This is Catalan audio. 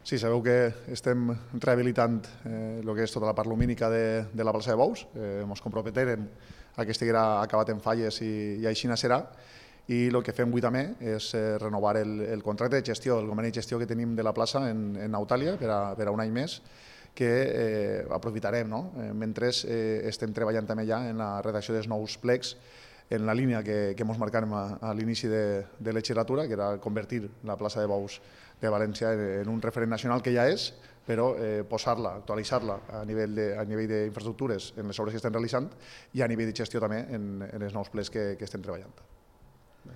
Sí, sabeu que estem rehabilitant el que és tota la part lumínica de la plaça de Bous. Ens comprometem a que estiguera acabat en falles i així serà. I el que fem avui també és renovar el contracte de gestió, el conveni de gestió que tenim de la plaça en Nautàlia per a un any més, que aprofitarem. Mentre estem treballant també ja en la redacció dels nous plecs, en la línia que ens marcàrem a l'inici de legislatura, que era convertir la plaça de Bous de València en un referent nacional, que ja és, però posar-la, actualitzar-la a nivell d'infraestructures en les obres que estem realitzant i a nivell de gestió també en els nous plecs que estem treballant.